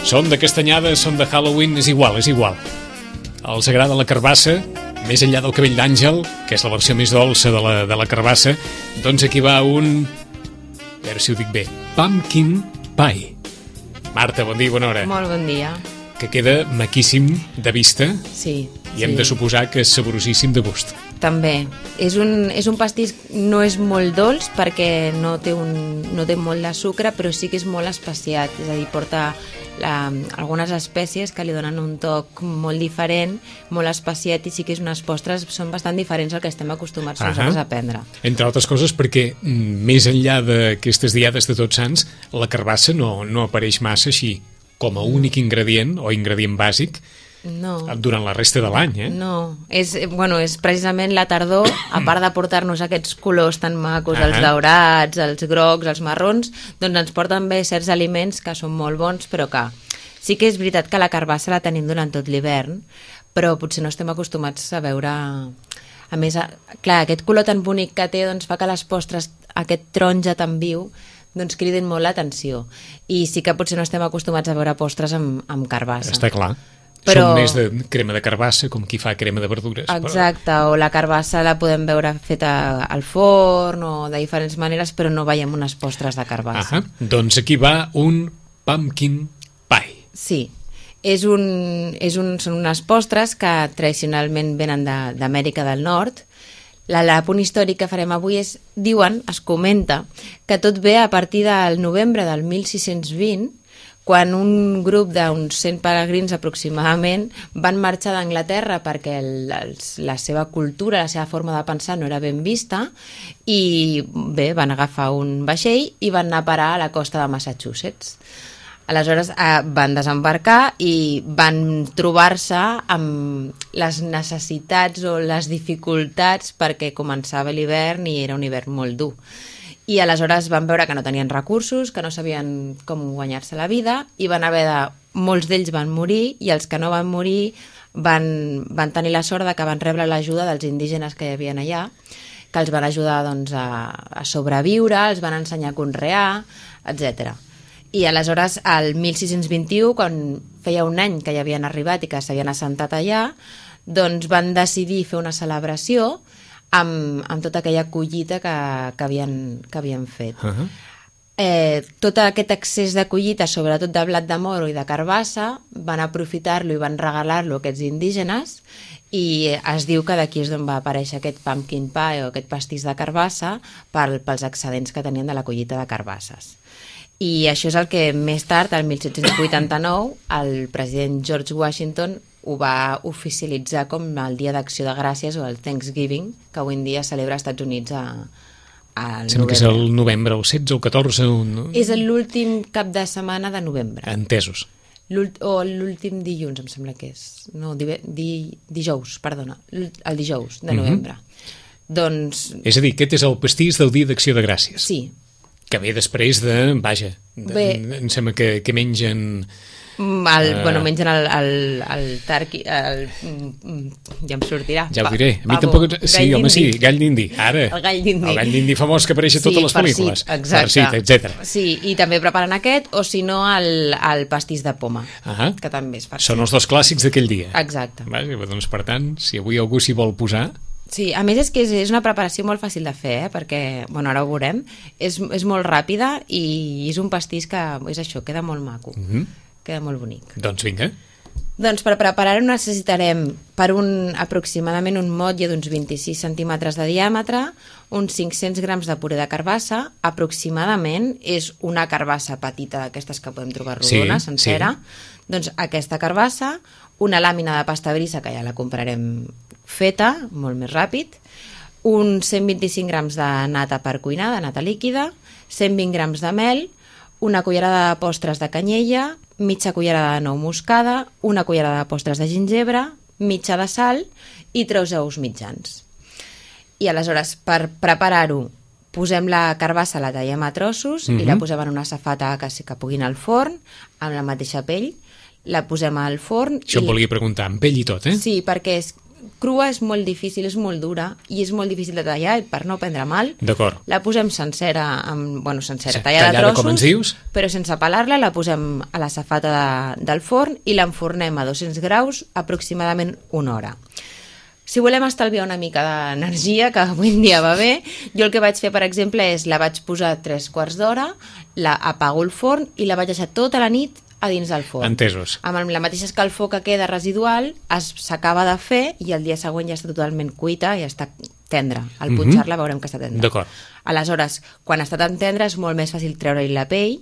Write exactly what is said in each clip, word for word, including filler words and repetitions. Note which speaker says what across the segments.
Speaker 1: Són de castanyada, són de Halloween, és igual, és igual. Els agrada la carbassa, més enllà del cabell d'àngel, que és la versió més dolça de la, de la carbassa, doncs aquí va un... A veure si ho dic bé. Pumpkin Pie. Marta, bon dia i bona hora.
Speaker 2: Molt bon dia.
Speaker 1: Que queda maquíssim de vista.
Speaker 2: Sí.
Speaker 1: I hem
Speaker 2: sí.
Speaker 1: de suposar que és saborosíssim de gust.
Speaker 2: També. És un, és un pastís, no és molt dolç perquè no té, un, no té molt de sucre, però sí que és molt especiat. És a dir, porta la, algunes espècies que li donen un toc molt diferent, molt especiat, i sí que és unes postres, són bastant diferents al que estem acostumats uh-huh. nosaltres a prendre.
Speaker 1: Entre altres coses perquè, més enllà d'aquestes diades de Tots Sants, la carbassa no, no apareix massa així, com a únic ingredient o ingredient bàsic
Speaker 2: no.
Speaker 1: durant la resta de l'any, eh?
Speaker 2: No, és, bueno, és precisament la tardor, a part de portar-nos aquests colors tan macos, els daurats, els grocs, els marrons, doncs ens porten bé certs aliments que són molt bons, però que sí que és veritat que la carbassa la tenim durant tot l'hivern, però potser no estem acostumats a veure... A més, clar, aquest color tan bonic que té doncs fa que les postres, aquest taronja tan viu, doncs criden molt l'atenció. I sí que potser no estem acostumats a veure postres amb, amb carbassa.
Speaker 1: Està clar.
Speaker 2: Però...
Speaker 1: Són més de crema de carbassa, com qui fa crema de verdures.
Speaker 2: Exacte, però... o la carbassa la podem veure feta al forn o de diferents maneres, però no veiem unes postres de carbassa.
Speaker 1: Ah, doncs aquí va un pumpkin pie.
Speaker 2: Sí, és un, és un, són unes postres que tradicionalment venen d'Amèrica del Nord. L'apunt històric que farem avui és, diuen, es comenta, que tot ve a partir del novembre del mil sis-cents vint, quan un grup d'uns cent peregrins aproximadament van marxar d'Anglaterra perquè el, els, la seva cultura, la seva forma de pensar no era ben vista, i bé, van agafar un vaixell i van anar a parar a la costa de Massachusetts. Aleshores eh, van desembarcar i van trobar-se amb les necessitats o les dificultats perquè començava l'hivern i era un hivern molt dur. I aleshores van veure que no tenien recursos, que no sabien com guanyar-se la vida, i van haver de... molts d'ells van morir, i els que no van morir van, van tenir la sort de que van rebre l'ajuda dels indígenes que hi havia allà, que els van ajudar doncs, a, a sobreviure, els van ensenyar a conrear, etcètera. I aleshores, al mil sis-cents vint-i-u, quan feia un any que hi havien arribat i que s'havien assentat allà, doncs van decidir fer una celebració amb, amb tota aquella collita que, que, havien, que havien fet. Uh-huh. Eh, tot aquest excés de collita, sobretot de blat de moro i de carbassa, van aprofitar-lo i van regalar-lo a aquests indígenes, i es diu que d'aquí és d'on va aparèixer aquest pumpkin pie o aquest pastís de carbassa per, pels excedents que tenien de la collita de carbasses. I això és el que més tard, el mil set-cents vuitanta-nou, el president George Washington ho va oficialitzar com el Dia d'Acció de Gràcies o el Thanksgiving, que avui en dia celebra als Estats Units a, a
Speaker 1: Sembla que és el novembre, el setze o el catorze. No?
Speaker 2: És l'últim cap de setmana de novembre.
Speaker 1: Entesos.
Speaker 2: L'ult, o l'últim dilluns, em sembla que és. No, di, di, dijous, perdona. El dijous de novembre. Mm-hmm. Doncs...
Speaker 1: És a dir, aquest és el pastís del Dia d'Acció de Gràcies.
Speaker 2: Sí.
Speaker 1: Que ve després de... Vaja, de,
Speaker 2: Bé,
Speaker 1: em sembla que, que mengen...
Speaker 2: El, uh, bueno, mengen el, el, el tarqui... El, ja em sortirà.
Speaker 1: Ja ho diré. A mi
Speaker 2: Pavo,
Speaker 1: tampoc... Sí, home, sí, gall d'indi. Ara.
Speaker 2: El gall d'indi.
Speaker 1: El gall d'indi famós que apareix a totes
Speaker 2: sí,
Speaker 1: les pel·lícules.
Speaker 2: Sí, exacte.
Speaker 1: Farcit, etcètera.
Speaker 2: Sí, i també preparen aquest, o si no, el, el pastís de poma,
Speaker 1: uh-huh.
Speaker 2: que també és farcit.
Speaker 1: Són els dos clàssics d'aquell dia.
Speaker 2: Exacte.
Speaker 1: Vaja, doncs, per tant, si avui algú s'hi vol posar...
Speaker 2: Sí, a més és que és, és una preparació molt fàcil de fer, eh? Perquè, bueno, ara ho veurem, és, és molt ràpida i és un pastís que, és això, queda molt maco, uh-huh. queda molt bonic.
Speaker 1: Doncs vinga.
Speaker 2: Doncs per preparar-ho necessitarem per un, aproximadament un motlle d'uns vint-i-sis centímetres de diàmetre, uns cinc-cents grams de puré de carbassa, aproximadament és una carbassa petita d'aquestes que podem trobar rodona, sí, sencera, sí. Doncs aquesta carbassa, una làmina de pasta brisa que ja la comprarem feta, molt més ràpid, uns cent vint-i-cinc grams de nata per cuinar, de nata líquida, cent vint grams de mel, una cullerada de postres de canyella, mitja cullerada de nou moscada, una cullerada de postres de gingebre, mitja de sal i tres ous mitjans. I aleshores, per preparar-ho, posem la carbassa, la tallem a trossos mm-hmm. i la posem en una safata que, que pugui anar al forn, amb la mateixa pell, la posem al forn...
Speaker 1: Això
Speaker 2: i...
Speaker 1: em volia preguntar, amb pell i tot, eh?
Speaker 2: Sí, perquè és, crua és molt difícil, és molt dura i és molt difícil de tallar i per no prendre mal.
Speaker 1: D'acord.
Speaker 2: La posem sencera, amb, bueno, sencera,
Speaker 1: Sí,
Speaker 2: tallada,
Speaker 1: tallada,
Speaker 2: a trossos,
Speaker 1: com ens dius.
Speaker 2: però sense pelar-la, la posem a la safata de, del forn i l'enfornem a dos-cents graus aproximadament una hora. Si volem estalviar una mica d'energia, que avui en dia va bé, jo el que vaig fer, per exemple, és la vaig posar tres quarts d'hora, la apago el forn i la vaig deixar tota la nit a dins del forn.
Speaker 1: Entesos.
Speaker 2: Amb la mateixa escalfor que queda residual, s'acaba de fer i el dia següent ja està totalment cuita i ja està tendra. Al
Speaker 1: Mhm.
Speaker 2: punxar-la veurem que està tendra.
Speaker 1: D'acord.
Speaker 2: Aleshores, quan està tan tendra és molt més fàcil treure-hi la pell,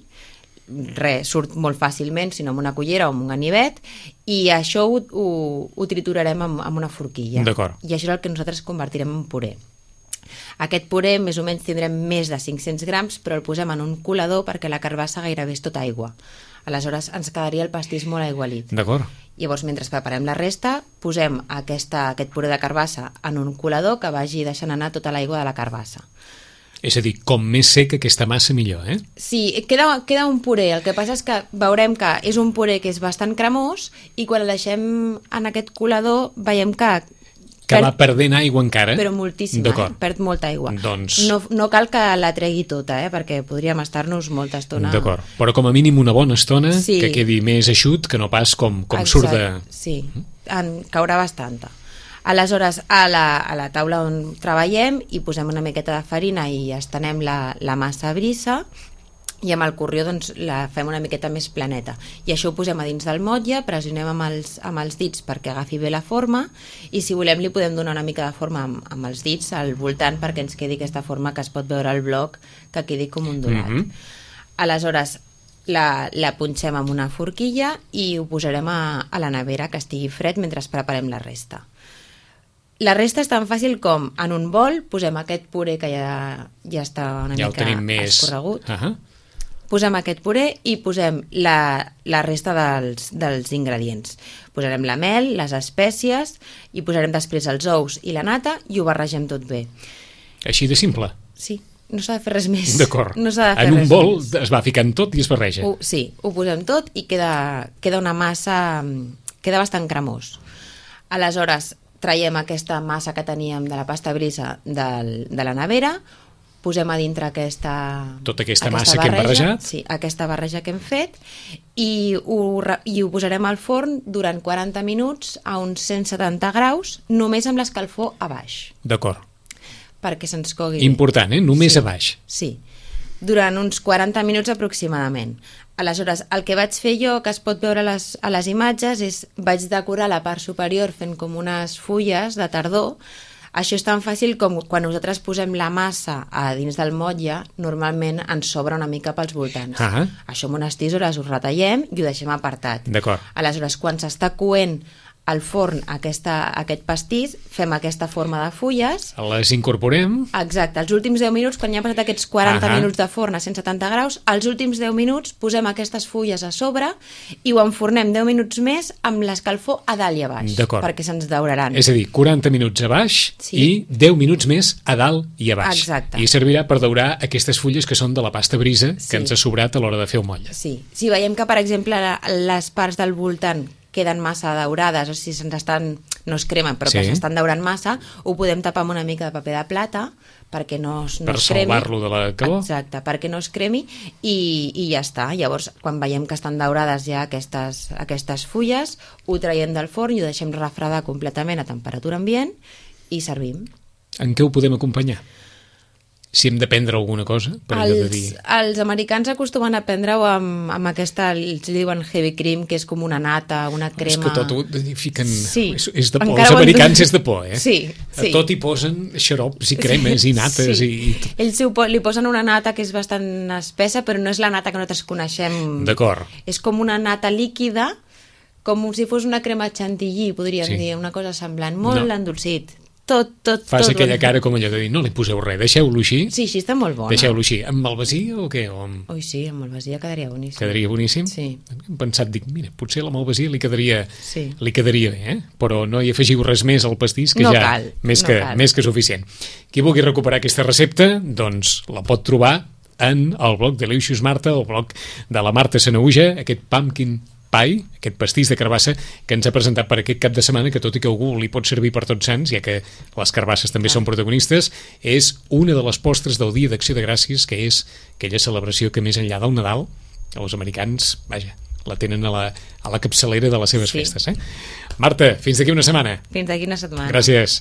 Speaker 2: res, surt molt fàcilment, sinó amb una cullera o amb un ganivet, i això ho, ho, ho triturarem amb, amb una forquilla.
Speaker 1: D'acord.
Speaker 2: I això és el que nosaltres convertirem en puré. Aquest puré més o menys tindrem més de cinc-cents grams, però el posem en un colador perquè la carbassa gairebé és tota aigua. Aleshores ens quedaria el pastís molt aigualit.
Speaker 1: D'acord.
Speaker 2: Llavors, mentre preparem la resta, posem aquesta, aquest puré de carbassa en un colador que vagi deixant anar tota l'aigua de la carbassa.
Speaker 1: És a dir, com més seca aquesta massa, millor, eh?
Speaker 2: Sí, queda, queda un puré. El que passa és que veurem que és un puré que és bastant cremós i quan el deixem en aquest colador veiem que
Speaker 1: Que va perdent aigua encara.
Speaker 2: però moltíssima, eh?
Speaker 1: D'acord.
Speaker 2: Perd molta aigua.
Speaker 1: Doncs-
Speaker 2: No, no cal que la tregui tota, eh? Perquè podríem estar-nos molta estona...
Speaker 1: D'acord. Però com a mínim una bona estona,
Speaker 2: Sí.
Speaker 1: que quedi més eixut, que no pas com, com surt de...
Speaker 2: Sí, en caurà bastanta. Aleshores, a la, a la taula on treballem hi posem una miqueta de farina i estenem la, la massa brisa i amb el corrió doncs, la fem una miqueta més planeta. I això ho posem a dins del motlle, pressionem amb els, amb els dits perquè agafi bé la forma i si volem li podem donar una mica de forma amb, amb els dits al voltant perquè ens quedi aquesta forma que es pot veure al bloc, que quedi com un donat.
Speaker 1: Mhm.
Speaker 2: Aleshores, la, la punxem amb una forquilla i ho posarem a, a la nevera que estigui fred mentre preparem la resta. La resta és tan fàcil com en un bol posem aquest puré que ja, ja està una
Speaker 1: Ja el
Speaker 2: mica
Speaker 1: tenim més...
Speaker 2: escorregut,
Speaker 1: Uh -huh.
Speaker 2: posem aquest puré i posem la, la resta dels, dels ingredients. Posarem la mel, les espècies i posarem després els ous i la nata i ho barregem tot bé.
Speaker 1: Així de simple.
Speaker 2: Sí, no s'ha de fer res més.
Speaker 1: D'acord.
Speaker 2: No s'ha de fer
Speaker 1: En un
Speaker 2: res
Speaker 1: bol
Speaker 2: més.
Speaker 1: es va ficant tot i es barreja.
Speaker 2: Ho, sí, ho posem tot i queda, queda una massa, queda bastant cremós. Aleshores, traiem aquesta massa que teníem de la pasta brisa del, de la nevera, posem a dintre aquesta,
Speaker 1: Tota aquesta massa que hem barrejat.
Speaker 2: Sí, aquesta barreja que hem fet i ho, re- i ho posarem al forn durant quaranta minuts a uns cent setanta graus, només amb l'escalfor a baix,
Speaker 1: D'acord.
Speaker 2: perquè se'ns cogui bé.
Speaker 1: Important, eh? Només
Speaker 2: Sí.
Speaker 1: a baix.
Speaker 2: Sí, durant uns quaranta minuts aproximadament. Aleshores, el que vaig fer jo, que es pot veure a les, a les imatges, és vaig decorar la part superior fent com unes fulles de tardor. Això és tan fàcil com quan nosaltres posem la massa a dins del motlle, normalment ens sobra una mica pels voltants.
Speaker 1: Ah.
Speaker 2: Això amb unes tisores ho retallem i ho deixem apartat.
Speaker 1: D'acord.
Speaker 2: Aleshores, quan s'està coent al forn aquesta, aquest pastís, fem aquesta forma de fulles.
Speaker 1: Les incorporem.
Speaker 2: Exacte, els últims deu minuts, quan ja han passat aquests quaranta
Speaker 1: Ahà.
Speaker 2: minuts de forn a cent setanta graus, els últims deu minuts posem aquestes fulles a sobre i ho enfornem deu minuts més amb l'escalfor a dalt i a baix,
Speaker 1: D'acord.
Speaker 2: perquè se'ns dauraran.
Speaker 1: És a dir, quaranta minuts a baix
Speaker 2: Sí.
Speaker 1: i deu minuts més a dalt i a baix.
Speaker 2: Exacte.
Speaker 1: I servirà per daurar aquestes fulles que són de la pasta brisa
Speaker 2: Sí.
Speaker 1: que ens ha sobrat a l'hora de fer el motlle.
Speaker 2: Sí, si veiem que, per exemple, la- les parts del voltant queden massa daurades, o si se'ns estan, no es cremen, però
Speaker 1: Sí.
Speaker 2: que s'estan daurant massa, ho podem tapar amb una mica de paper de plata perquè no, es- no
Speaker 1: Per
Speaker 2: es cremi.
Speaker 1: salvar-lo de la calor.
Speaker 2: Exacte, perquè no es cremi i, i ja està. Llavors, quan veiem que estan daurades ja aquestes, aquestes fulles, ho traiem del forn i ho deixem refredar completament a temperatura ambient i servim.
Speaker 1: En què ho podem acompanyar? Si hem de prendre alguna cosa, per allò de
Speaker 2: Els,
Speaker 1: dir...
Speaker 2: els americans acostumen a prendre-ho amb, amb aquesta, els diuen heavy cream, que és com una nata, una crema...
Speaker 1: És que tot ho fiquen...
Speaker 2: Sí.
Speaker 1: És, és de por.
Speaker 2: Encara
Speaker 1: Els
Speaker 2: ho han-
Speaker 1: americans és de por, eh?
Speaker 2: Sí, sí.
Speaker 1: A tot hi posen xarops i cremes i nates
Speaker 2: Sí.
Speaker 1: i... i...
Speaker 2: Ells ho po- li posen una nata que és bastant espessa, però no és la nata que nosaltres coneixem.
Speaker 1: D'acord.
Speaker 2: És com una nata líquida, com si fos una crema chantilly, podríem
Speaker 1: Sí.
Speaker 2: dir, una cosa semblant, molt
Speaker 1: No.
Speaker 2: endolcit. Tot, tot,
Speaker 1: Fas
Speaker 2: tot.
Speaker 1: aquella cara com allò de dir, no li poseu res, deixeu-lo així.
Speaker 2: Sí, així està molt bona.
Speaker 1: Deixeu-lo així. Amb malvasia o què? O amb...
Speaker 2: Ui, sí, amb malvasia quedaria boníssim.
Speaker 1: Quedaria boníssim?
Speaker 2: Sí.
Speaker 1: Hem pensat, dic, mira, potser la malvasia li quedaria,
Speaker 2: Sí.
Speaker 1: li quedaria bé, eh? Però no hi afegiu res més al pastís, que
Speaker 2: No
Speaker 1: ja
Speaker 2: cal,
Speaker 1: més,
Speaker 2: no
Speaker 1: que,
Speaker 2: cal.
Speaker 1: més que suficient. Qui vulgui recuperar aquesta recepta, doncs la pot trobar en el blog de l'Eixos Marta, el blog de la Marta Sanaüja, aquest pumpkin pie, aquest pastís de carbassa que ens ha presentat per aquest cap de setmana, que tot i que algú li pot servir per Tots Sants, ja que les carbasses també són protagonistes, és una de les postres del Dia d'Acció de Gràcies, que és aquella celebració que més enllà del Nadal, els americans, vaja, la tenen a la, a la capçalera de les seves
Speaker 2: Sí.
Speaker 1: festes. Eh? Marta, fins d'aquí una setmana.
Speaker 2: Fins d'aquí una setmana.
Speaker 1: Gràcies.